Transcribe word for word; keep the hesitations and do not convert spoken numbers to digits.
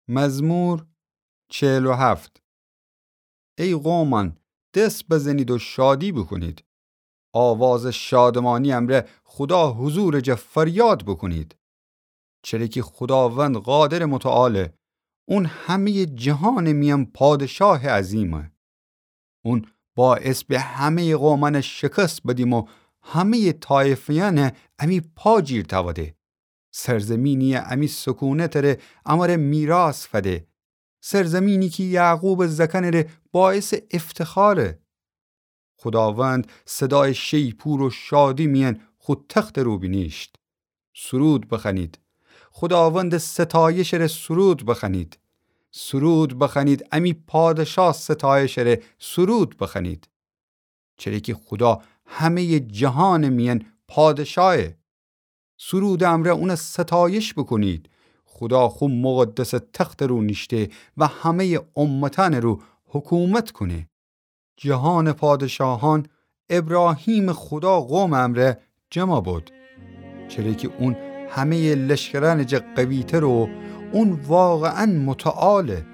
مزمور چهل و هفت. ای قومأن، دس بزنید و شادی بوکونید. آوازٚ شادمانی امرأ خودا حضورٚ جا فریاد بوکونید. چره کی خوداوند قادرٚ متعاله، اون همه‌یٚ جهانٚ میأن پادشاهٚ عظیمه. اون باعث به همه‌یٚ قومأن شکست بدیم و همه‌یٚ طایفه‌یأن امی پا جیر تأوده. سرزمینی امی سکونتٚ ره امره میراث فده. سرزمینی کی یعقوبٚ زأکأنٚ ره باعثٚ افتخاره. خوداوند صدایٚ شیپور و شادی میأن خو تختٚ رو بینیشت. سرود بخوأنید. خوداوندٚ ستایشٚ ره سرود بخوأنید. سرود بخوأنید، امی پادشاه ستایشٚ ره سرود بخوأنید. چره کی خودا همه‌یٚ جهانٚ میأن پادشاهه. سرودٚ امرأ اون ستایش بوکونید. خودا خو مقدسٚ تختٚ رو نیشته و همه‌یٚ امتأنٚ رو حکومت کونه. جهانٚ پادشاهأن ابراهیمٚ خودا قومٚ امرأ جمع بود. چره کی اون همه‌یٚ لشکرأنٚ جا قوی‌تره و اون واقعاً متعاله.